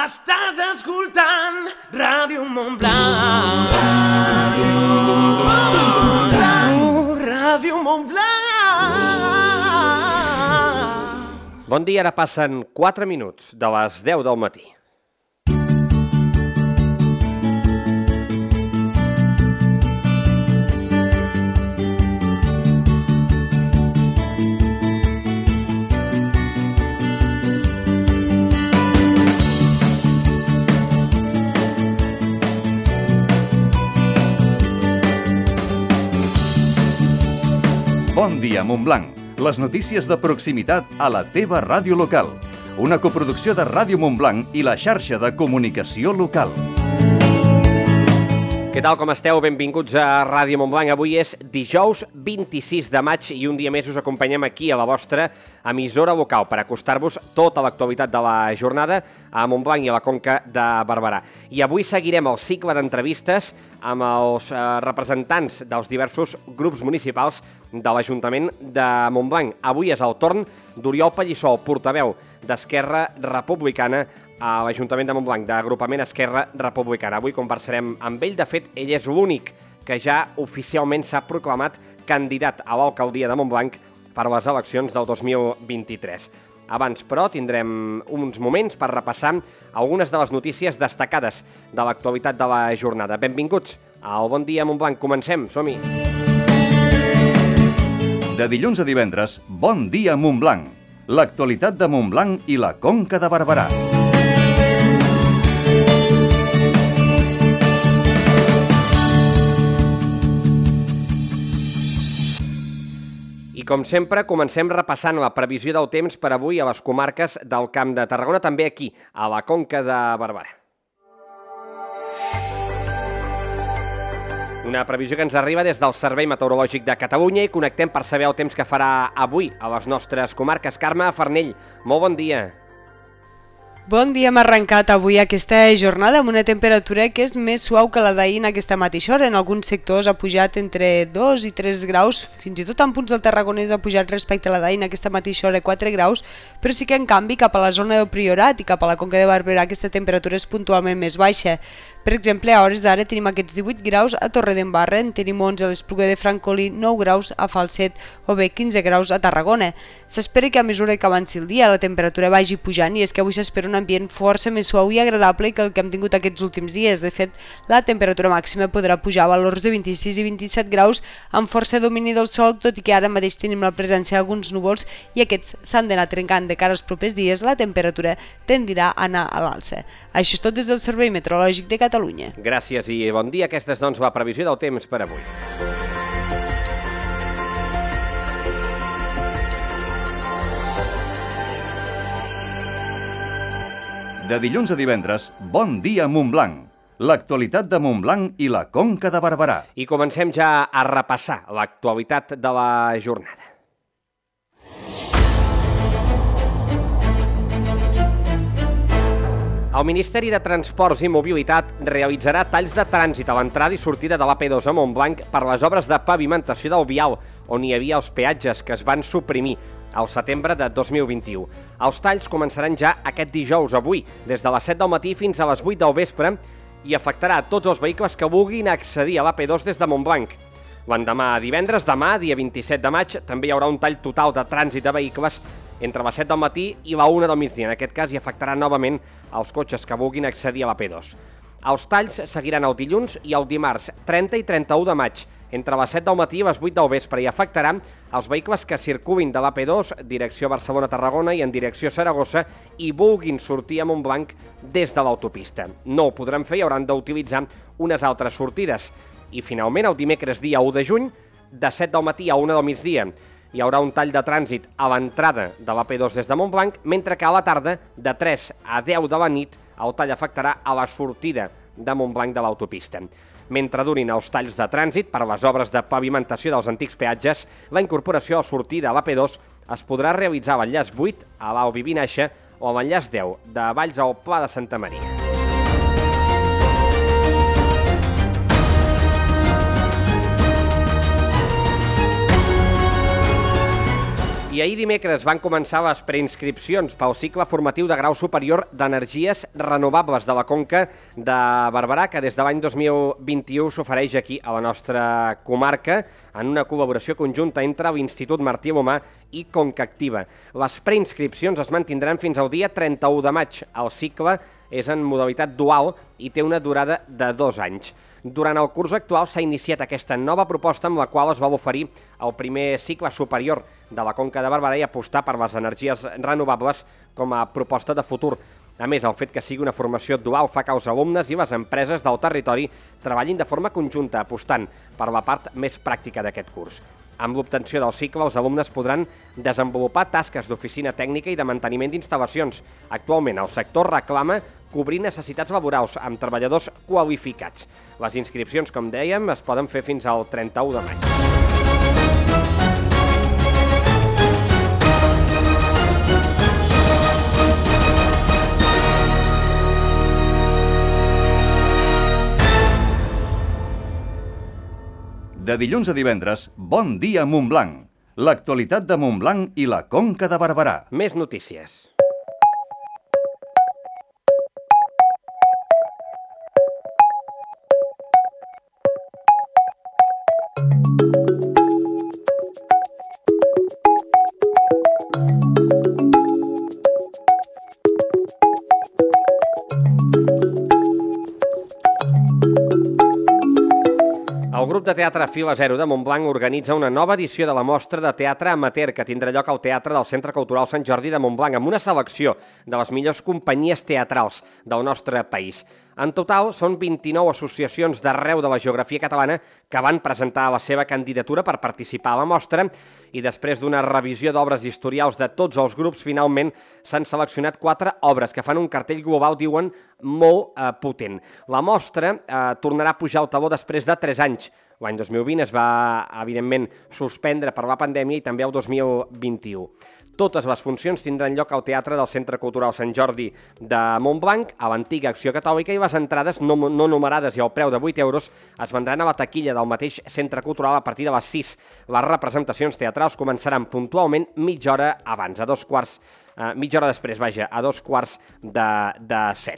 Estàs escoltant Ràdio Montblanc. Ràdio Montblanc. Bon dia, ara passen 4 minuts de les 10 del matí. Bon dia, Montblanc. Les notícies de proximitat a la teva ràdio local. Una coproducció de Ràdio Montblanc i la xarxa de comunicació local. Què tal, com esteu? Benvinguts a Ràdio Montblanc. Avui és dijous 26 de maig i un dia més us acompanyem aquí a la vostra emissora local per acostar-vos tota l'actualitat de la jornada a Montblanc i a la Conca de Barberà. I avui seguirem el cicle d'entrevistes amb els representants dels diversos grups municipals de l'Ajuntament de Montblanc. Avui és el torn d'Oriol Pallissó, portaveu d'Esquerra Republicana a l'Ajuntament de Montblanc, d'agrupament Esquerra Republicana. Avui conversarem amb ell. De fet, ell és l'únic que ja oficialment s'ha proclamat candidat a l'alcaldia de Montblanc per a les eleccions del 2023. Abans, però, tindrem uns moments per repassar algunes de les notícies destacades de l'actualitat de la jornada. Benvinguts al Bon Dia Montblanc. Comencem, som-hi! De dilluns a divendres, Bon dia Montblanc. L'actualitat de Montblanc i la Conca de Barberà. I com sempre, comencem repassant la previsió del temps per avui a les comarques del Camp de Tarragona, també aquí, a la Conca de Barberà. Una previsió que ens arriba des del Servei Meteorològic de Catalunya i connectem per saber el temps que farà avui a les nostres comarques. Carme Farnell, molt bon dia. Bon dia, hem arrencat avui aquesta jornada amb una temperatura que és més suau que la d'ahir en aquesta mateixa hora. En alguns sectors ha pujat entre 2 i 3 graus, fins i tot en punts del Tarragonès ha pujat respecte a la d'ahir en aquesta mateixa hora 4 graus, però sí que en canvi cap a la zona del Priorat i cap a la Conca de Barberà aquesta temperatura és puntualment més baixa. Per exemple, a hores d'ara tenim aquests 18 graus a Torredembarra, en tenim 11 a l'Espluga de Francolí, 9 graus a Falset o bé 15 graus a Tarragona. S'espera que a mesura que avanci el dia la temperatura vagi pujant i és que avui s'espera un ambient força més suau i agradable que el que hem tingut aquests últims dies. De fet, la temperatura màxima podrà pujar a valors de 26 i 27 graus amb força domini del sol, tot i que ara mateix tenim la presència d'alguns núvols i aquests s'han d'anar trencant de cara als propers dies. La temperatura tendirà a anar a l'alça. Això és tot des del Servei Meteorològic de Catalunya. Gràcies i bon dia. Aquesta és, doncs, la previsió del temps per avui. De dilluns a divendres, Bon dia Montblanc. L'actualitat de Montblanc i la Conca de Barberà. I comencem ja a repassar l'actualitat de la jornada. El Ministeri de Transports i Mobilitat realitzarà talls de trànsit a l'entrada i sortida de l'AP2 a Montblanc per les obres de pavimentació del vial, on hi havia els peatges que es van suprimir al setembre de 2021. Els talls començaran ja aquest dijous, avui, des de les 7 del matí fins a les 8 del vespre, i afectarà a tots els vehicles que vulguin accedir a l'AP2 des de Montblanc. L'endemà, divendres, demà, dia 27 de maig, també hi haurà un tall total de trànsit de vehicles entre les 7 del matí i la 1 del migdia. En aquest cas hi afectarà novament els cotxes que vulguin accedir a l'AP2. Els talls seguiran el dilluns i el dimarts 30 i 31 de maig, entre les 7 del matí i les 8 del vespre, i afectaran els vehicles que circulin de l'AP2, direcció Barcelona-Tarragona i en direcció Saragossa, i vulguin sortir a Montblanc des de l'autopista. No ho podran fer i hauran d'utilitzar unes altres sortides. I finalment, el dimecres dia 1 de juny, de 7 del matí a 1 del migdia, hi haurà un tall de trànsit a l'entrada de l'AP2 des de Montblanc, mentre que a la tarda, de 3 a 10 de la nit, el tall afectarà a la sortida de Montblanc de l'autopista. Mentre durin els talls de trànsit per les obres de pavimentació dels antics peatges, la incorporació a sortida a l'AP2 es podrà realitzar a l'enllaç 8, a l'Albi Vinaixa, o a l'enllaç 10, de Valls al Pla de Santa Maria. I ahir dimecres van començar les preinscripcions pel cicle formatiu de grau superior d'energies renovables de la Conca de Barberà, que des de l'any 2021 s'ofereix aquí a la nostra comarca en una col·laboració conjunta entre l'Institut Martí Alomar i Concactiva. Les preinscripcions es mantindran fins al dia 31 de maig. El cicle és en modalitat dual i té una durada de 2 anys. Durant el curs actual s'ha iniciat aquesta nova proposta amb la qual es va oferir el primer cicle superior de la Conca de Barberà i apostar per les energies renovables com a proposta de futur. A més, el fet que sigui una formació dual fa que els alumnes i les empreses del territori treballin de forma conjunta, apostant per la part més pràctica d'aquest curs. Amb l'obtenció del cicle, els alumnes podran desenvolupar tasques d'oficina tècnica i de manteniment d'instal·lacions. Actualment, el sector reclama cobrir necessitats laborals amb treballadors qualificats. Les inscripcions, com dèiem, es poden fer fins al 31 de maig. De dilluns a divendres, Bon dia Montblanc. L'actualitat de Montblanc i la Conca de Barberà. Més notícies. El grup de teatre Fila Zero de Montblanc organitza una nova edició de la mostra de teatre amateur que tindrà lloc al Teatre del Centre Cultural Sant Jordi de Montblanc amb una selecció de les millors companyies teatrals del nostre país. En total, són 29 associacions d'arreu de la geografia catalana que van presentar la seva candidatura per participar a la mostra i després d'una revisió d'obres historials de tots els grups, finalment s'han seleccionat 4 obres que fan un cartell global, diuen, molt potent. La mostra tornarà a pujar al taló després de 3 anys. L'any 2020 es va, evidentment, suspendre per la pandèmia i també el 2021. Totes les funcions tindran lloc al Teatre del Centre Cultural Sant Jordi de Montblanc, a l'antiga Acció Catòlica, i les entrades no numerades i al preu de 8 euros es vendran a la taquilla del mateix Centre Cultural a partir de les 6. Les representacions teatrals començaran puntualment mitja hora abans, mitja hora després, a 6:45.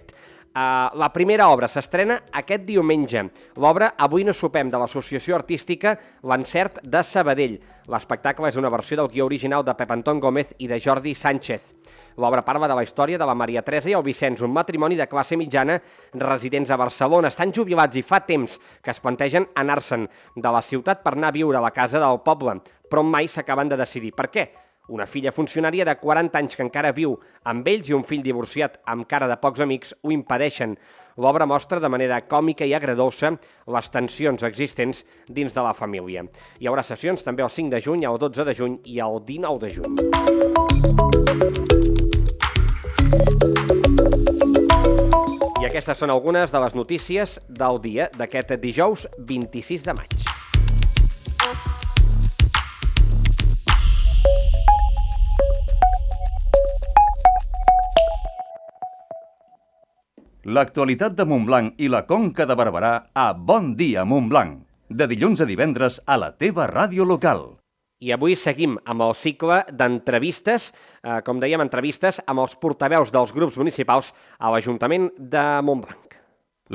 La primera obra s'estrena aquest diumenge. L'obra Avui no sopem, de l'associació artística L'Encert de Sabadell. L'espectacle és una versió del guió original de Pep Anton Gómez i de Jordi Sánchez. L'obra parla de la història de la Maria Teresa i el Vicenç, un matrimoni de classe mitjana residents a Barcelona. Estan jubilats i fa temps que es plantegen anar-se'n de la ciutat per anar a viure a la casa del poble, però mai s'acaben de decidir. Per què? Una filla funcionària de 40 anys que encara viu amb ells i un fill divorciat amb cara de pocs amics ho impedeixen. L'obra mostra de manera còmica i agredolça les tensions existents dins de la família. Hi haurà sessions també el 5 de juny, el 12 de juny i el 19 de juny. I aquestes són algunes de les notícies del dia d'aquest dijous 26 de maig. L'actualitat de Montblanc i la Conca de Barberà a Bon dia Montblanc. De dilluns a divendres a la teva ràdio local. I avui seguim amb el cicle d'entrevistes, com dèiem, entrevistes amb els portaveus dels grups municipals a l'Ajuntament de Montblanc.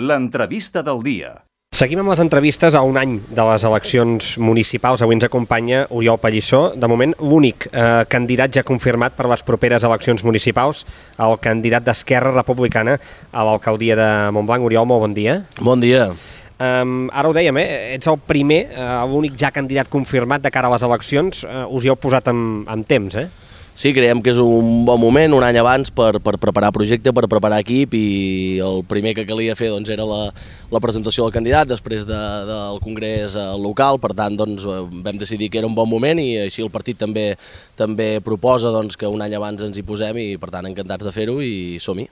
L'entrevista del dia. Seguim amb les entrevistes a un any de les eleccions municipals. Avui ens acompanya Oriol Pallissó, de moment l'únic candidat ja confirmat per les properes eleccions municipals, el candidat d'Esquerra Republicana a l'alcaldia de Montblanc. Oriol, molt bon dia. Bon dia. Ara ho dèiem, ets el primer, l'únic ja candidat confirmat de cara a les eleccions. Us hi heu posat amb temps, Sí, creiem que és un bon moment, un any abans, per preparar projecte, per preparar equip, i el primer que calia fer doncs, era la presentació del candidat després del congrés local. Per tant, doncs, vam decidir que era un bon moment i així el partit també proposa doncs, que un any abans ens hi posem i, per tant, encantats de fer-ho i som-hi.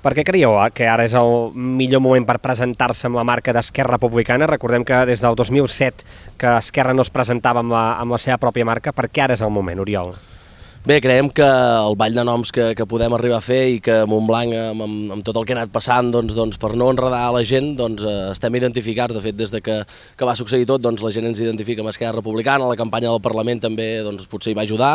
Per què creieu que ara és el millor moment per presentar-se amb la marca d'Esquerra Republicana? Recordem que des del 2007 que Esquerra no es presentava amb la seva pròpia marca. Per què ara és el moment, Oriol? Bé, creiem que el ball de noms que podem arribar a fer i que Montblanc, amb tot el que ha anat passant, doncs per no enredar la gent, estem identificats. De fet, des de que va succeir tot, la gent ens identifica amb Esquerra Republicana, la campanya del Parlament també potser hi va ajudar.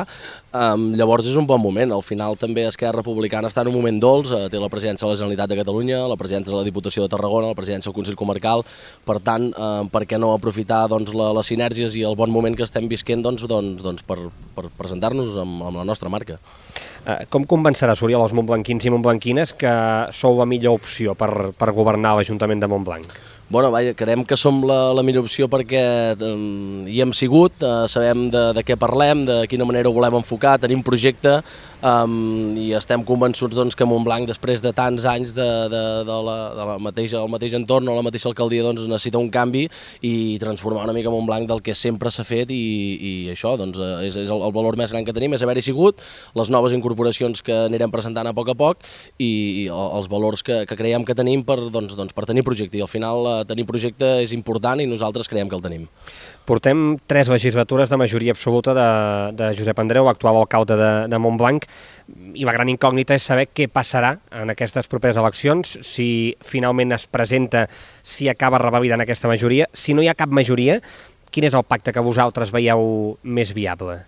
Llavors és un bon moment. Al final també Esquerra Republicana està en un moment dolç, té la presidència de la Generalitat de Catalunya, la presidència de la Diputació de Tarragona, la presidència del Consell Comarcal. Per tant, per què no aprofitar les sinergies i el bon moment que estem visquent per presentar-nos amb la nostra marca. Com convenceràs, Oriol, els montblanquins i montblanquines que sou la millor opció per governar l'Ajuntament de Montblanc? Bueno, vaja, creiem que som la millor opció perquè hi hem sigut, sabem de què parlem, de quina manera ho volem enfocar, tenim projecte i estem convençuts que Montblanc, després de tants anys del mateix entorn o la mateixa alcaldia, necessita un canvi i transformar una mica Montblanc del que sempre s'ha fet i això és el valor més gran que tenim, és haver-hi sigut, les noves incorporacions que anirem presentant a poc i els valors que creiem que tenim per tenir projecte. I al final tenir projecte és important i nosaltres creiem que el tenim. Portem 3 legislatures de majoria absoluta de Josep Andreu, actual alcalde de Montblanc, i la gran incògnita és saber què passarà en aquestes properes eleccions, si finalment es presenta, si acaba revalidant aquesta majoria. Si no hi ha cap majoria, quin és el pacte que vosaltres veieu més viable?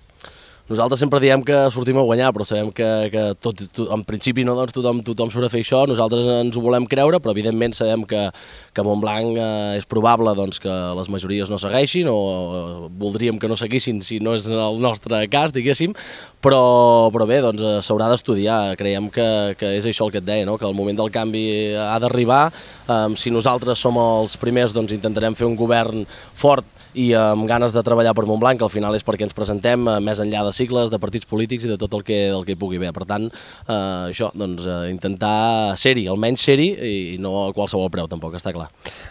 Nosaltres sempre diem que sortim a guanyar, però sabem que en principi tothom surt a fer això, nosaltres ens ho volem creure, però evidentment sabem que a Montblanc és probable que les majories no segueixin, o voldríem que no seguissin si no és el nostre cas, diguéssim, però bé, s'haurà d'estudiar. Creiem que és això el que et deia, que el moment del canvi ha d'arribar. Si nosaltres som els primers, intentarem fer un govern fort i amb ganes de treballar per Montblanc, que al final és perquè ens presentem més enllà de sigles, de partits polítics i de tot el que hi pugui haver. Per tant, això, intentar ser-hi, almenys ser-hi, i no a qualsevol preu, tampoc, està clar.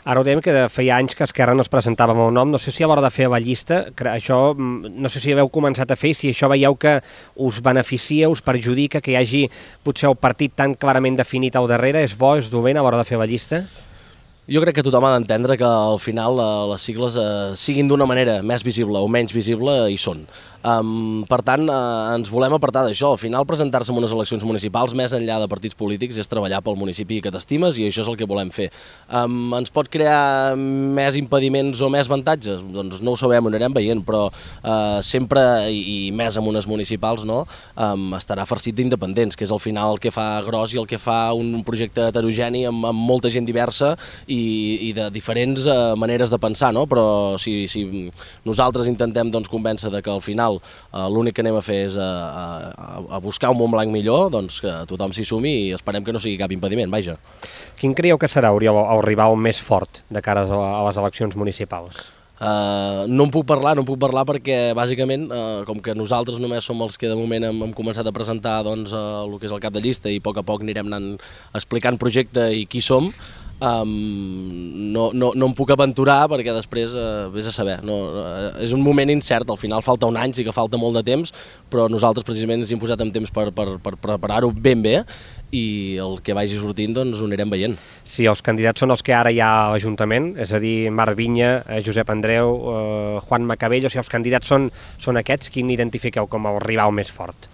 Ara ho dèiem que feia anys que Esquerra no es presentava amb el nom, no sé si a l'hora de fer la llista, això no sé si haveu començat a fer i si això veieu que us beneficia, us perjudica, que hi hagi potser el partit tan clarament definit al darrere, és bo, és dolent a l'hora de fer la llista? Jo crec que tothom ha d'entendre que al final les sigles siguin d'una manera més visible o menys visible, hi són. Per tant, ens volem apartar d'això. Al final, presentar-se en unes eleccions municipals, més enllà de partits polítics, és treballar pel municipi que t'estimes i això és el que volem fer. Ens pot crear més impediments o més avantatges? Doncs no ho sabem, ho anirem veient, però sempre, i més en unes municipals, estarà farcit d'independents, que és al final el que fa gros i el que fa un projecte heterogeni amb molta gent diversa i de diferents maneres de pensar, però si nosaltres intentem convèncer que al final l'únic que anem a fer és a buscar un Montblanc millor, que tothom s'hi sumi i esperem que no sigui cap impediment, vaja. Quin creieu que serà, Oriol, el rival més fort de cara a les eleccions municipals? No en puc parlar perquè bàsicament com que nosaltres només som els que de moment hem començat a presentar el que és el cap de llista i a poc anirem anant explicant projecte i qui som, no em puc aventurar perquè després vés a saber, és un moment incert, al final falta un any, sí que falta molt de temps, però nosaltres precisament ens hem posat en temps per preparar-ho ben bé i el que vagi sortint ho anirem veient. Si els candidats són els que ara hi ha a l'Ajuntament, és a dir, Marc Vinya, Josep Andreu, Juan Macabell, o si els candidats són aquests, quin identifiqueu com el rival més fort?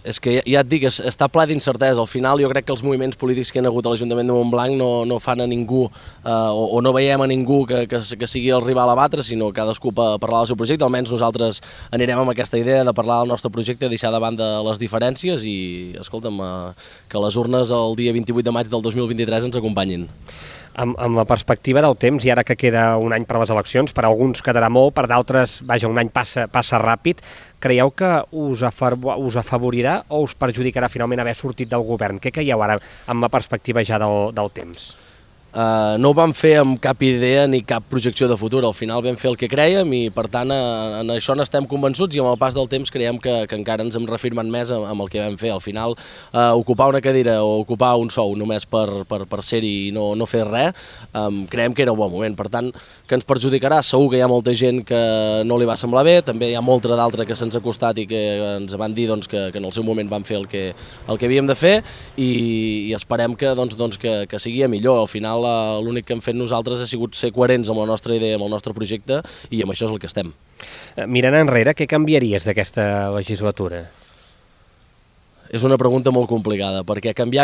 És que ja et dic, està ple d'incertesa. Al final jo crec que els moviments polítics que hi ha hagut a l'Ajuntament de Montblanc no fan a ningú o no veiem a ningú que sigui el rival a batre, sinó cadascú parlar del seu projecte. Almenys nosaltres anirem amb aquesta idea de parlar del nostre projecte, deixar de banda les diferències i, escolta'm, que les urnes el dia 28 de maig del 2023 ens acompanyin. Amb la perspectiva del temps, i ara que queda un any per a les eleccions, per alguns quedarà molt, per d'altres, vaja, un any passa ràpid, creieu que us afavorirà o us perjudicarà finalment haver sortit del govern? Què creieu ara amb la perspectiva ja del temps? No ho vam fer amb cap idea ni cap projecció de futur, al final vam fer el que crèiem i per tant en això n'estem convençuts i amb el pas del temps creiem que encara ens hem reafirmat més amb el que vam fer. Al final ocupar una cadira o ocupar un sou només per ser-hi i no fer res, creiem que era un bon moment. Per tant, que ens perjudicarà, segur que hi ha molta gent que no li va semblar bé, també hi ha molta d'altra que se'ns ha costat i que ens van dir que en el seu moment van fer el que havíem de fer i esperem que sigui millor. Al final final l'únic que hem fet nosaltres ha sigut ser coherents amb la nostra idea, amb el nostre projecte, i amb això és el que estem. Mirant enrere, què canviaries d'aquesta legislatura? És una pregunta molt complicada, perquè canviar,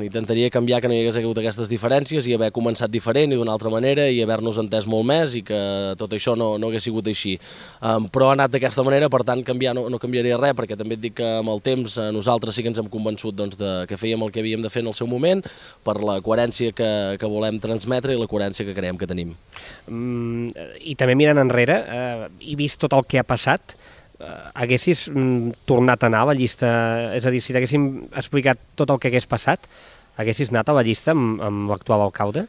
intentaria canviar que no hi hagués hagut aquestes diferències i haver començat diferent i d'una altra manera i haver-nos entès molt més i que tot això no hagués sigut així. Però ha anat d'aquesta manera, per tant canviar no canviaria res, perquè també et dic que amb el temps nosaltres sí que ens hem convençut que fèiem el que havíem de fer en el seu moment, per la coherència que volem transmetre i la coherència que creiem que tenim. I també mirant enrere, i vist tot el que ha passat, haguessis tornat a anar a la llista, és a dir, si t'haguéssim explicat tot el que hagués passat, haguessis anat a la llista amb l'actual alcalde?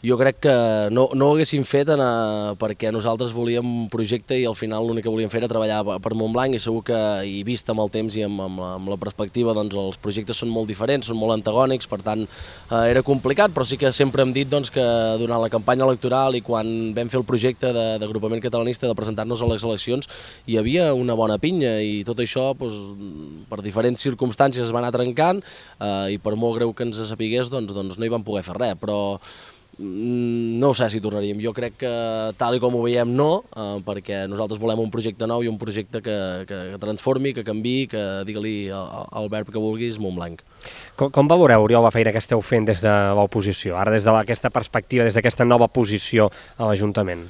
Jo crec que no ho haguéssim fet perquè nosaltres volíem un projecte i al final l'únic que volíem fer era treballar per Montblanc i segur que, i vist amb el temps i amb la perspectiva, doncs els projectes són molt diferents, són molt antagònics, per tant era complicat, però sí que sempre hem dit que durant la campanya electoral i quan vam fer el projecte d'agrupament catalanista de presentar-nos a les eleccions hi havia una bona pinya i tot això per diferents circumstàncies es va anar trencant i per molt greu que ens sapigués doncs no hi vam poder fer res, però no sé si tornaríem. Jo crec que tal i com ho veiem perquè nosaltres volem un projecte nou i un projecte que transformi, que canviï, que digue-li el verb que vulguis Montblanc. Com valoreu, Oriol, la feina que esteu fent des de l'oposició, ara des d'aquesta perspectiva, des d'aquesta nova posició a l'Ajuntament?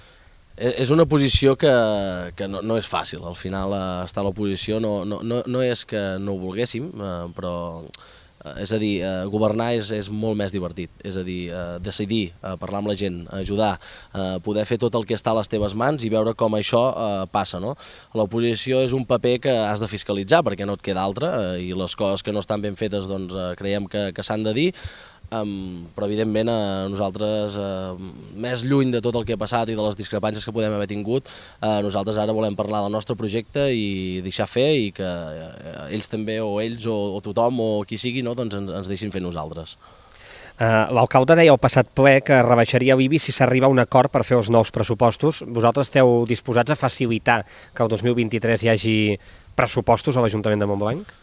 És una posició que no és fàcil, al final estar a l'oposició no és que no ho volguéssim, però és a dir, governar és molt més divertit, és a dir, decidir, parlar amb la gent, ajudar, poder fer tot el que està a les teves mans i veure com això passa, no? L'oposició és un paper que has de fiscalitzar perquè no et queda altre i les coses que no estan ben fetes doncs creiem que s'han de dir, però evidentment nosaltres, més lluny de tot el que ha passat i de les discrepàncies que podem haver tingut, nosaltres ara volem parlar del nostre projecte i deixar fer i que ells també, o ells, o tothom, o qui sigui, doncs ens deixin fer nosaltres. L'alcalde deia al passat ple que rebaixaria l'IBI si s'arriba a un acord per fer els nous pressupostos. Vosaltres esteu disposats a facilitar que el 2023 hi hagi pressupostos a l'Ajuntament de Montblanc?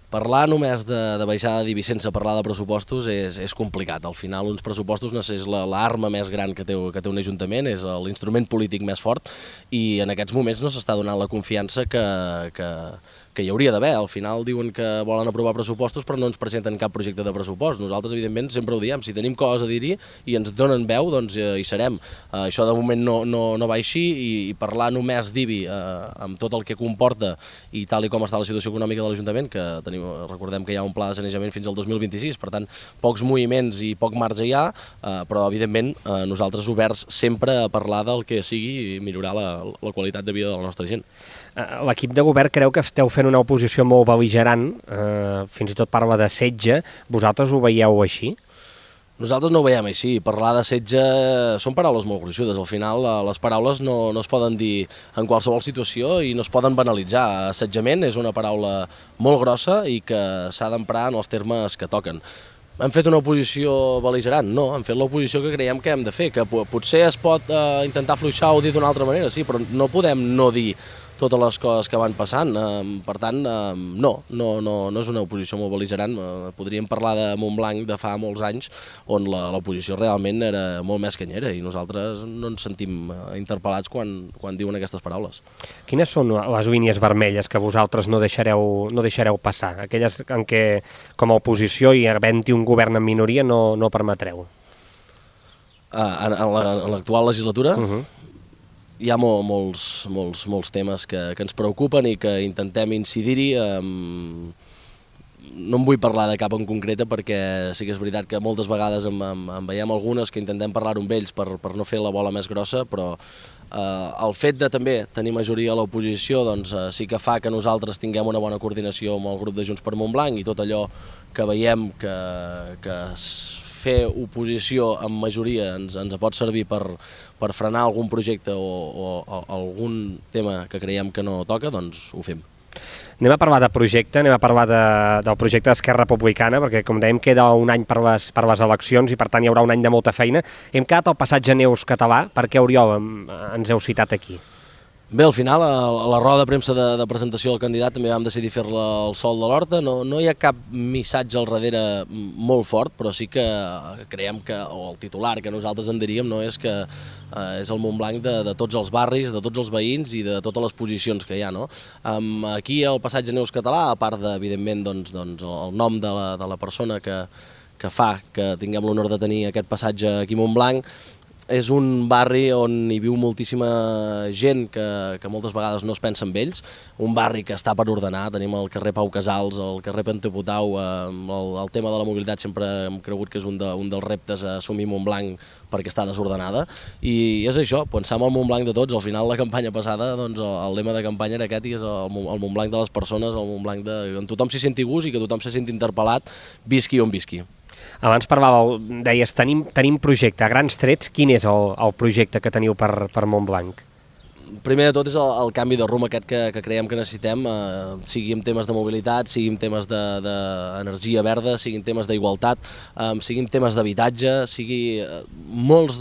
Parlar només de baixada d'IBI sense parlar de pressupostos és complicat. Al final, uns pressupostos és l'arma més gran que té un ajuntament, és l'instrument polític més fort i en aquests moments no s'està donant la confiança que hi hauria d'haver. Al final diuen que volen aprovar pressupostos però no ens presenten cap projecte de pressupost. Nosaltres, evidentment, sempre ho diem, si tenim coses a dir-hi i ens donen veu, doncs hi serem. Això de moment no va així i parlar només d'IBI amb tot el que comporta i tal i com està la situació econòmica de l'Ajuntament, que recordem que hi ha un pla de sanejament fins al 2026, per tant, pocs moviments i poc marge hi ha, però evidentment nosaltres oberts sempre a parlar del que sigui i millorar la qualitat de vida de la nostra gent. L'equip de govern creu que esteu fent una oposició molt bel·ligerant, fins i tot parla de setge. Vosaltres ho veieu així? Nosaltres no ho veiem així. Parlar de setge són paraules molt gruixudes. Al final les paraules no es poden dir en qualsevol situació i no es poden banalitzar. Assetjament és una paraula molt grossa i que s'ha d'emprar en els termes que toquen. Hem fet una oposició bel·ligerant? No, hem fet l'oposició que creiem que hem de fer, que potser es pot intentar afluixar o dir d'una altra manera, sí, però no podem no dir totes les coses que van passant. Per tant, no és una oposició molt bel·ligerant. Podríem parlar de Montblanc de fa molts anys, on l'oposició realment era molt més canyera i nosaltres no ens sentim interpel·lats quan diuen aquestes paraules. Quines són les línies vermelles que vosaltres no deixareu passar? Aquelles en què, com a oposició i havent-hi un govern en minoria, no permetreu? En l'actual legislatura? Hi ha molts temes que ens preocupen i que intentem incidir-hi. No en vull parlar de cap en concreta perquè sí que és veritat que moltes vegades en veiem algunes que intentem parlar-ho amb ells per no fer la bola més grossa, però el fet de també tenir majoria a l'oposició doncs, sí que fa que nosaltres tinguem una bona coordinació amb el grup de Junts per Montblanc i tot allò que veiem que fer oposició amb majoria ens pot servir per frenar algun projecte o algun tema que creiem que no toca, doncs ho fem. Anem a parlar de projecte, anem a parlar del projecte d'Esquerra Republicana, perquè com dèiem queda un any per les eleccions i per tant hi haurà un any de molta feina. Hem quedat al passatge Neus català, per què, Oriol, ens heu citat aquí? Bé, al final, a la roda de premsa de presentació del candidat també vam decidir fer-la al sol de l'Horta. No hi ha cap missatge al darrere molt fort, però sí que creiem que, o el titular que nosaltres en diríem, no és que és el Montblanc de tots els barris, de tots els veïns i de totes les posicions que hi ha. No? Aquí al passatge Neus Català, a part evidentment el nom de la persona que fa que tinguem l'honor de tenir aquest passatge aquí a Montblanc, és un barri on hi viu moltíssima gent que moltes vegades no es pensa en ells, un barri que està per ordenar. Tenim el carrer Pau Casals, el carrer Penteputau, el tema de la mobilitat sempre hem cregut que és un dels reptes a assumir Montblanc perquè està desordenada, i és això, pensar en el Montblanc de tots. Al final la campanya passada, doncs, el lema de campanya era aquest, i és el Montblanc de les persones, el Montblanc on tothom s'hi senti gust i que tothom se senti interpel·lat, visqui on visqui. Abans parlàveu, deies, tenim projecte. A grans trets, quin és el projecte que teniu per Montblanc? Primer de tot és el canvi de rumb aquest que creiem que necessitem, sigui en temes de mobilitat, sigui en temes d'energia verda, sigui en temes d'igualtat, sigui en temes d'habitatge, sigui molts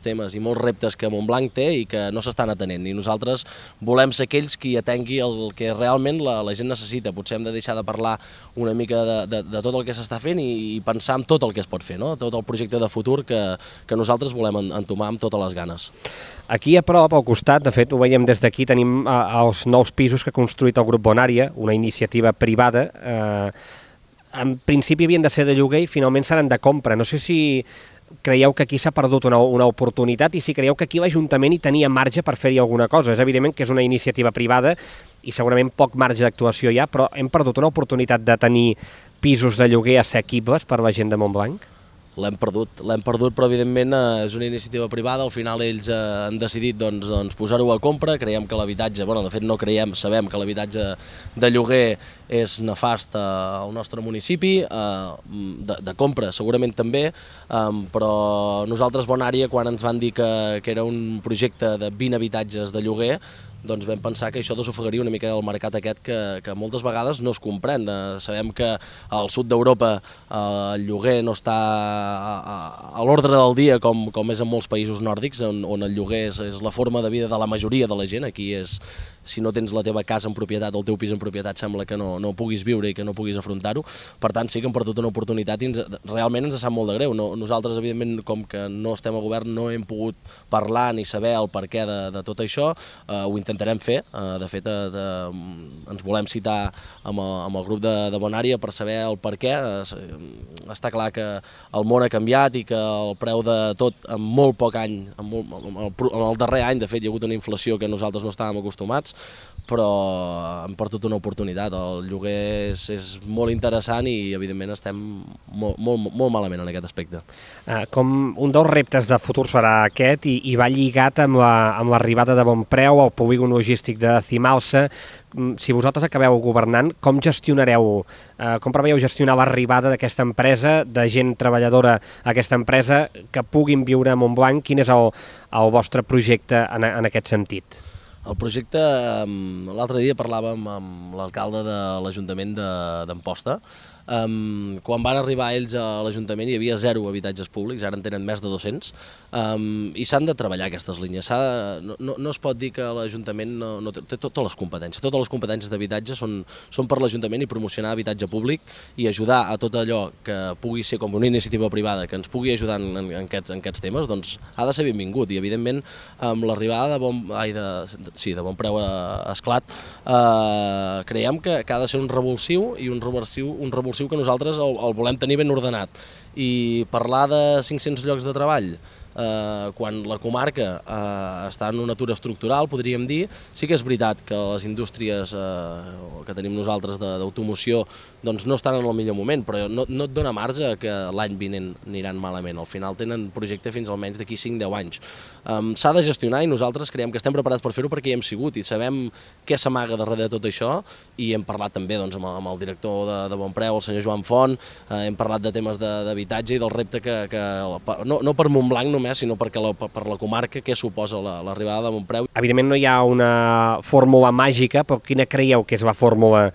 temes i molts reptes que Montblanc té i que no s'estan atenent. I nosaltres volem ser aquells qui atengui el que realment la gent necessita. Potser hem de deixar de parlar una mica de tot el que s'està fent i pensar en tot el que es pot fer, no? Tot el projecte de futur que nosaltres volem entomar amb totes les ganes. Aquí a prop, al costat, de fet ho veiem des d'aquí, tenim els nous pisos que ha construït el grup Bonària, una iniciativa privada. En principi havien de ser de lloguer i finalment seran de compra. No sé si creieu que aquí s'ha perdut una oportunitat i si creieu que aquí l'Ajuntament hi tenia marge per fer-hi alguna cosa. És evident que és una iniciativa privada i segurament poc marge d'actuació hi ha, però hem perdut una oportunitat de tenir pisos de lloguer assequibles per la gent de Montblanc? L'hem perdut, però evidentment és una iniciativa privada. Al final ells han decidit posar-ho a compra. Creiem que l'habitatge, de fet no creiem, sabem que l'habitatge de lloguer és nefast al nostre municipi, de compra segurament també, però nosaltres Bonària, quan ens van dir que era un projecte de 20 habitatges de lloguer, doncs vam pensar que això desofegaria una mica el mercat aquest que moltes vegades no es comprèn. Sabem que al sud d'Europa el lloguer no està a l'ordre del dia com és en molts països nòrdics, on el lloguer és la forma de vida de la majoria de la gent. Aquí és, si no tens la teva casa en propietat o el teu pis en propietat, sembla que no puguis viure i que no puguis afrontar-ho. Per tant, sí que hem perdut una oportunitat i realment ens sap molt de greu. Nosaltres, evidentment, com que no estem a govern, no hem pogut parlar ni saber el perquè de tot això. Ho intentarem fer. De fet, ens volem citar amb el grup de Bonària per saber el perquè. Està clar que el món ha canviat i que el preu de tot en molt poc any, en el darrer any, de fet, hi ha hagut una inflació que nosaltres no estàvem acostumats, però hem perdut una oportunitat. El lloguer és molt interessant i, evidentment, estem molt malament en aquest aspecte. Com un dels reptes de futur serà aquest i va lligat amb l'arribada de Bonpreu al polígon logístic de Cimalsa. Si vosaltres acabeu governant, com preveieu gestionar l'arribada d'aquesta empresa, de gent treballadora a aquesta empresa, que puguin viure a Montblanc? Quin és el vostre projecte en aquest sentit? El projecte, l'altre dia parlàvem amb l'alcalde de l'Ajuntament d'Amposta. Quan van arribar ells a l'Ajuntament hi havia 0 habitatges públics, ara en tenen més de 200, i s'han de treballar aquestes línies. No es pot dir que l'Ajuntament no té totes les competències d'habitatge són per l'Ajuntament, i promocionar habitatge públic i ajudar a tot allò que pugui ser com una iniciativa privada que ens pugui ajudar en aquests temes, doncs ha de ser benvingut. I evidentment amb l'arribada de Bonpreu a Esclat creiem que ha de ser un revulsiu i un revulsiu que nosaltres el volem tenir ben ordenat. I parlar de 500 llocs de treball quan la comarca està en un atur estructural, podríem dir, sí que és veritat que les indústries que tenim nosaltres d'automoció no estan en el millor moment, però no et dona marge que l'any vinent aniran malament. Al final tenen projecte fins almenys d'aquí 5-10 anys. S'ha de gestionar i nosaltres creiem que estem preparats per fer-ho perquè hi hem sigut i sabem què s'amaga darrere de tot això, i hem parlat també amb el director de Bonpreu, el senyor Joan Font, hem parlat de temes d'habitatge i del repte que no per Montblanc només, sinó per la comarca, què suposa l'arribada de Bonpreu. Evidentment no hi ha una fórmula màgica, però quina creieu que és la fórmula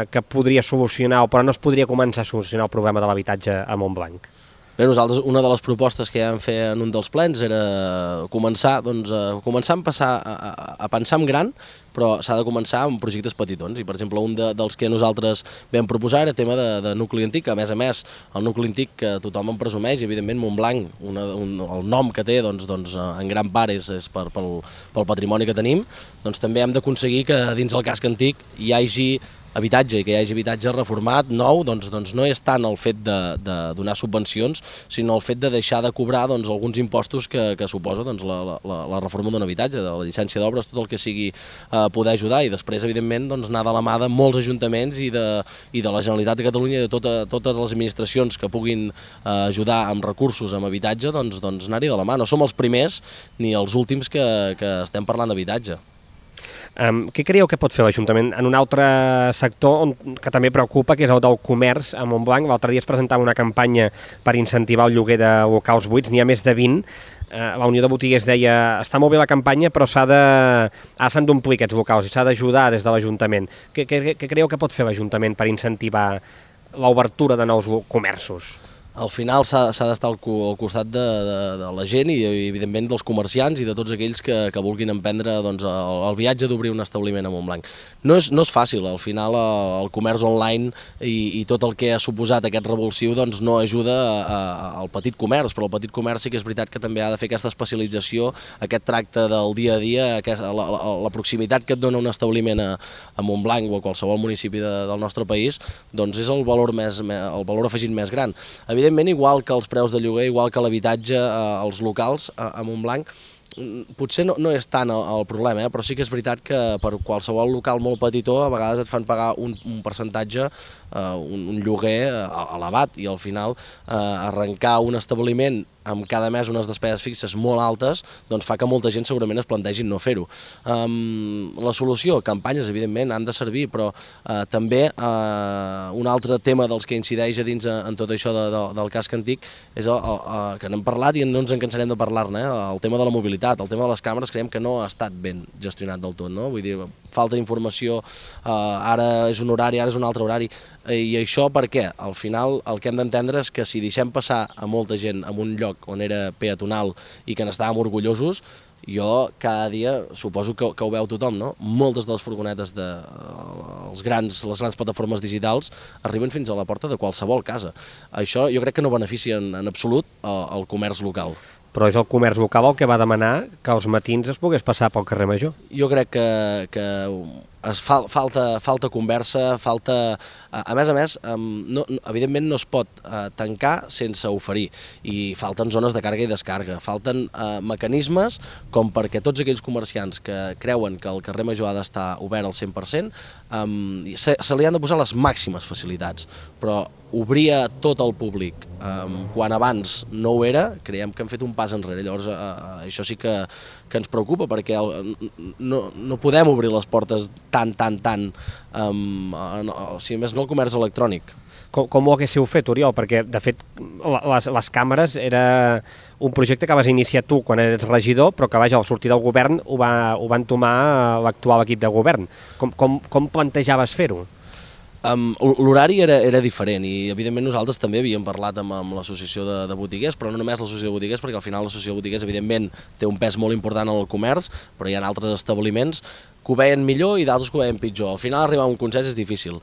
que podria solucionar, però no es podria començar a solucionar el problema de l'habitatge a Montblanc? Bé, nosaltres una de les propostes que ja vam fer en un dels plens era començar a pensar en gran, però s'ha de començar amb projectes petitons, i per exemple un dels que nosaltres vam proposar era tema de nucli antic, a més el nucli antic que tothom en presumeix, i evidentment Montblanc, el nom que té en gran part és pel patrimoni que tenim, doncs també hem d'aconseguir que dins el casc antic hi hagi habitatge, i que hi hagi habitatge reformat, nou, doncs no és tant el fet de donar subvencions, sinó el fet de deixar de cobrar alguns impostos que suposa la reforma d'un habitatge, de la llicència d'obres, tot el que sigui poder ajudar, i després, evidentment, anar de la mà de molts ajuntaments i de la Generalitat de Catalunya i de totes les administracions que puguin ajudar amb recursos, amb habitatge, anar-hi de la mà. No som els primers ni els últims que estem parlant d'habitatge. Què creieu que pot fer l'Ajuntament en un altre sector que també preocupa, que és el del comerç a Montblanc? L'altre dia es presentava una campanya per incentivar el lloguer de locals buits, n'hi ha més de 20. La Unió de Botiguers deia, està molt bé la campanya, però s'han d'omplir aquests locals i s'ha d'ajudar des de l'Ajuntament. Què creieu que pot fer l'Ajuntament per incentivar l'obertura de nous comerços? Al final s'ha d'estar al costat de la gent i evidentment dels comerciants i de tots aquells que vulguin emprendre el viatge d'obrir un establiment a Montblanc. No és fàcil, al final el comerç online i tot el que ha suposat aquest revulsiu no ajuda al petit comerç, però el petit comerç sí que és veritat que també ha de fer aquesta especialització, aquest tracte del dia a dia, la proximitat que et dona un establiment a Montblanc o a qualsevol municipi del nostre país, doncs és el valor afegit més gran. Evidentment, igual que els preus de lloguer, igual que l'habitatge, els locals a Montblanc, potser no és tant el problema, però sí que és veritat que per qualsevol local molt petitó a vegades et fan pagar un percentatge, un lloguer elevat, i al final arrencar un establiment amb cada mes unes despeses fixes molt altes, doncs fa que molta gent segurament es plantegi no fer-ho. La solució, campanyes, evidentment, han de servir, però també un altre tema dels que incideix a dins en tot això del casc antic és que n'hem parlat i no ens en cansarem de parlar-ne, el tema de la mobilitat, el tema de les càmeres, creiem que no ha estat ben gestionat del tot, no? Vull dir, falta d'informació, ara és un horari, ara és un altre horari, i això per què? Al final el que hem d'entendre és que si deixem passar a molta gent en un lloc on era peatonal i que n'estàvem orgullosos, jo cada dia suposo que ho veu tothom, no? Moltes de les furgonetes de les grans plataformes digitals arriben fins a la porta de qualsevol casa. Això jo crec que no beneficia en absolut el comerç local. Però és el comerç local el que va demanar que als matins es pogués passar pel carrer Major. Jo crec que falta conversa, falta... A més, evidentment no es pot tancar sense oferir, i falten zones de càrrega i descàrrega, falten mecanismes com perquè tots aquells comerciants que creuen que el carrer Major ha d'estar obert al 100%, se li han de posar les màximes facilitats, però obrir a tot el públic quan abans no ho era, creiem que hem fet un pas enrere. Llavors això sí que ens preocupa, perquè no podem obrir les portes tant, si més no el comerç electrònic. Com ho haguéssiu fet, Oriol? Perquè, de fet, les càmeres era un projecte que vas iniciar tu quan eres regidor, però que, vaja, al sortir del govern ho va entomar l'actual equip de govern. Com plantejaves fer-ho? L'horari era diferent, i evidentment nosaltres també havíem parlat amb l'associació de botiguers, però no només l'associació de botiguers, perquè al final l'associació de botiguers evidentment té un pes molt important en el comerç, però hi ha altres establiments que ho veien millor i d'altres que ho veien pitjor. Al final arribar a un consens és difícil,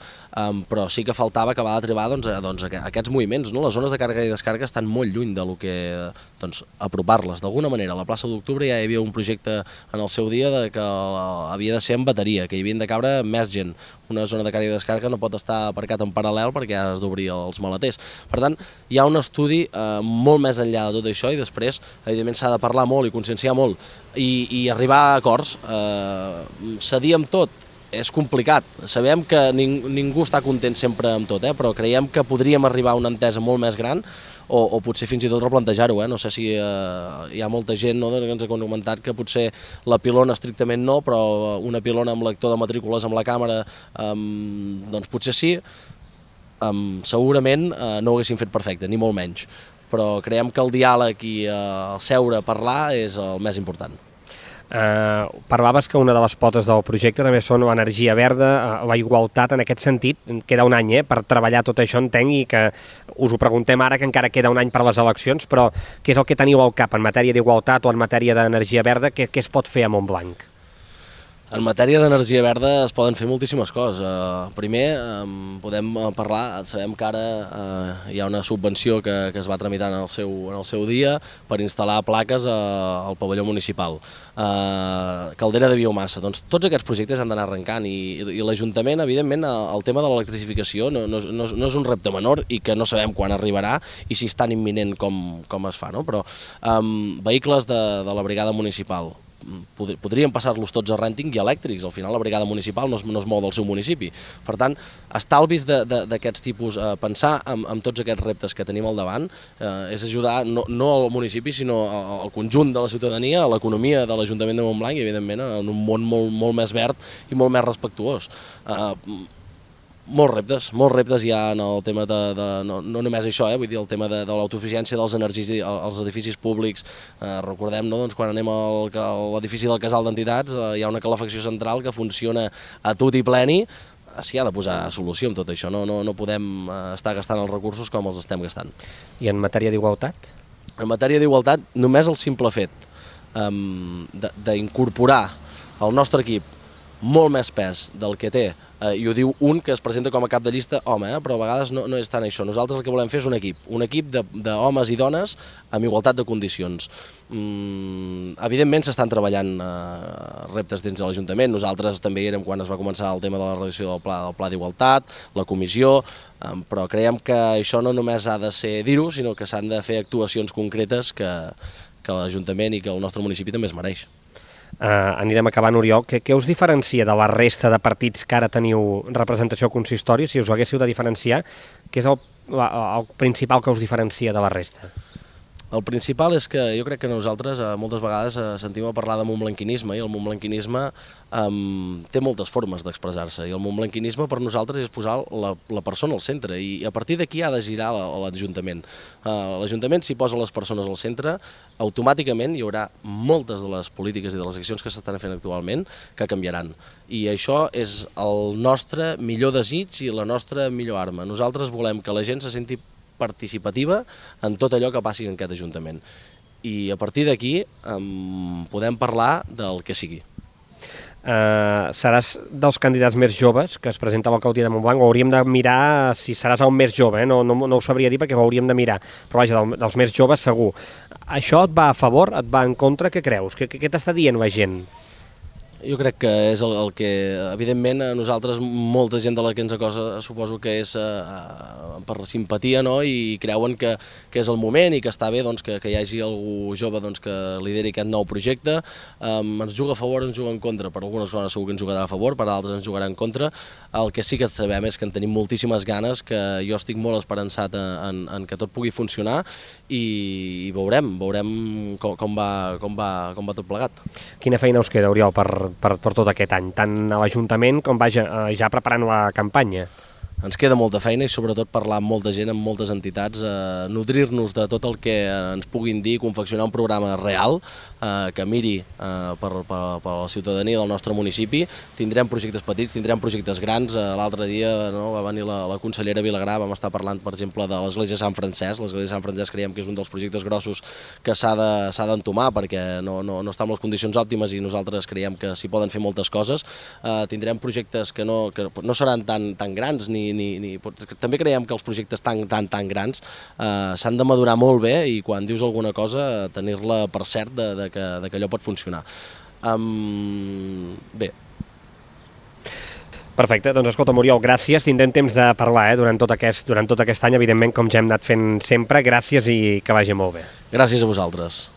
però sí que faltava acabar de trobar aquests moviments, no? Les zones de càrrega i descàrrega estan molt lluny del que apropar-les. D'alguna manera, a la plaça d'Octubre ja hi havia un projecte en el seu dia que havia de ser en bateria, que hi havien de cabre més gent. Una zona de càrrega i descàrrega no pot estar aparcat en paral·lel perquè has d'obrir els maleters. Per tant, hi ha un estudi molt més enllà de tot això, i després, evidentment, s'ha de parlar molt i conscienciar molt i arribar a acords. Cedir amb tot és complicat. Sabem que ningú està content sempre amb tot, però creiem que podríem arribar a una entesa molt més gran, o potser fins i tot replantejar-ho. No sé si hi ha molta gent que ens ha comentat que potser la pilona estrictament no, però una pilona amb lector de matrícules amb la càmera, doncs potser sí. Segurament no ho haguéssim fet perfecte, ni molt menys, però creiem que el diàleg i el seure a parlar és el més important. Parlaves que una de les potes del projecte també són l'energia verda, la igualtat. En aquest sentit, queda un any per treballar tot això, entenc, i que us ho preguntem ara, que encara queda un any per les eleccions, però què és el que teniu al cap en matèria d'igualtat o en matèria d'energia verda? Què es pot fer a Montblanc? En matèria d'energia verda es poden fer moltíssimes coses. Primer, podem parlar, sabem que ara hi ha una subvenció que es va tramitar en el seu dia per instal·lar plaques al pavelló municipal. Caldera de biomassa. Doncs tots aquests projectes han d'anar arrencant i l'Ajuntament, evidentment, el tema de l'electrificació no és un repte menor i que no sabem quan arribarà i si és tan imminent com es fa, no? Però vehicles de la brigada municipal, podríem passar-los tots a rènting i elèctrics. Al final la brigada municipal no es mou del seu municipi. Per tant, estalvis d'aquests tipus, pensar en tots aquests reptes que tenim al davant, és ajudar no al municipi sinó al conjunt de la ciutadania, a l'economia de l'Ajuntament de Montblanc i evidentment en un món molt més verd i molt més respectuós. Molts reptes hi ha en el tema no només això, vull dir, el tema de l'autosuficiència dels als edificis públics. Recordem, no, doncs, quan anem a l'edifici del Casal d'Entitats hi ha una calefacció central que funciona a tot i pleni. S'hi ha de posar solució amb tot això, no podem estar gastant els recursos com els estem gastant. I en matèria d'igualtat? En matèria d'igualtat, només el simple fet d'incorporar al nostre equip molt més pes del que té, i ho diu un que es presenta com a cap de llista home, però a vegades no és tant això. Nosaltres el que volem fer és un equip d'homes i dones amb igualtat de condicions. Evidentment s'estan treballant reptes dins de l'Ajuntament. Nosaltres també hi érem quan es va començar el tema de la redacció del pla d'igualtat, la comissió, però creiem que això no només ha de ser dir-ho, sinó que s'han de fer actuacions concretes que l'Ajuntament i que el nostre municipi també es mereix. Anirem acabant, Oriol. Què us diferencia de la resta de partits que ara teniu representació al consistori? Si us ho haguéssiu de diferenciar, què és el principal que us diferencia de la resta? El principal és que jo crec que nosaltres moltes vegades sentim a parlar de montblanquinisme i el montblanquinisme té moltes formes d'expressar-se i el montblanquinisme per nosaltres és posar la persona al centre i a partir d'aquí ha de girar l'Ajuntament. L'Ajuntament, si posa les persones al centre, automàticament hi haurà moltes de les polítiques i de les accions que s'estan fent actualment que canviaran. I això és el nostre millor desig i la nostra millor arma. Nosaltres volem que la gent se senti participativa en tot allò que passi en aquest Ajuntament. I a partir d'aquí podem parlar del que sigui. Seràs dels candidats més joves que es presenta a l'alcaldia de Montblanc, o hauríem de mirar si seràs el més jove, no ho sabria dir perquè ho hauríem de mirar, però vaja, dels més joves segur. Això et va a favor, et va en contra, què creus? Què t'està dient la gent? Jo crec que és el que, evidentment, a nosaltres, molta gent de la que ens acosa, suposo que és per simpatia, no? I creuen que és el moment i que està bé doncs, que hi hagi algú jove doncs, que lideri aquest nou projecte. Ens juga a favor o ens juga en contra. Per algunes coses segur que ens jugarà a favor, per altres ens jugarà en contra. El que sí que sabem és que en tenim moltíssimes ganes, que jo estic molt esperançat en que tot pugui funcionar i veurem com va tot plegat. Quina feina us queda, Oriol, per tot aquest any, tant a l'Ajuntament com ja preparant la campanya? Ens queda molta feina i sobretot parlar amb molta gent, amb moltes entitats, nodrir-nos de tot el que ens puguin dir, confeccionar un programa real que miri per la ciutadania del nostre municipi. Tindrem projectes petits, tindrem projectes grans. L'altre dia va venir la consellera Vilagrà, vam estar parlant, per exemple, de l'Església de Sant Francesc. L'Església de Sant Francesc creiem que és un dels projectes grossos que s'ha d'entomar perquè no està en les condicions òptimes i nosaltres creiem que s'hi poden fer moltes coses. Tindrem projectes que no seran tan grans també creiem que els projectes tan grans s'han de madurar molt bé i quan dius alguna cosa tenir-la per cert de que allò pot funcionar. Bé. Perfecte, doncs escolta, Oriol, gràcies. Tindrem temps de parlar durant tot aquest any, evidentment, com ja hem anat fent sempre. Gràcies i que vagi molt bé. Gràcies a vosaltres.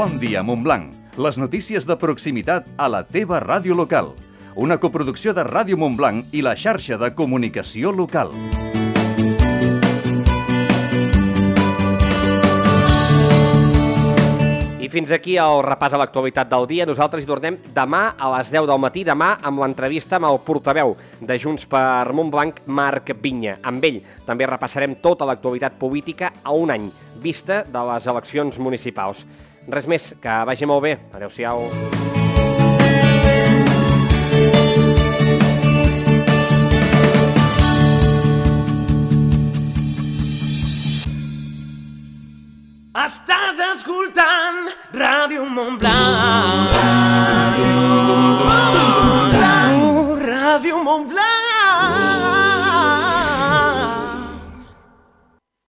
Bon dia, Montblanc. Les notícies de proximitat a la teva ràdio local. Una coproducció de Ràdio Montblanc i la xarxa de comunicació local. I fins aquí el repàs a l'actualitat del dia. Nosaltres hi tornem demà a les 10 del matí, demà amb l'entrevista amb el portaveu de Junts per Montblanc, Marc Vinya. Amb ell també repassarem tota l'actualitat política a un any vista de les eleccions municipals. Res més, que vagi molt bé. Adéu-siau. Estàs escoltant Ràdio Montblanc.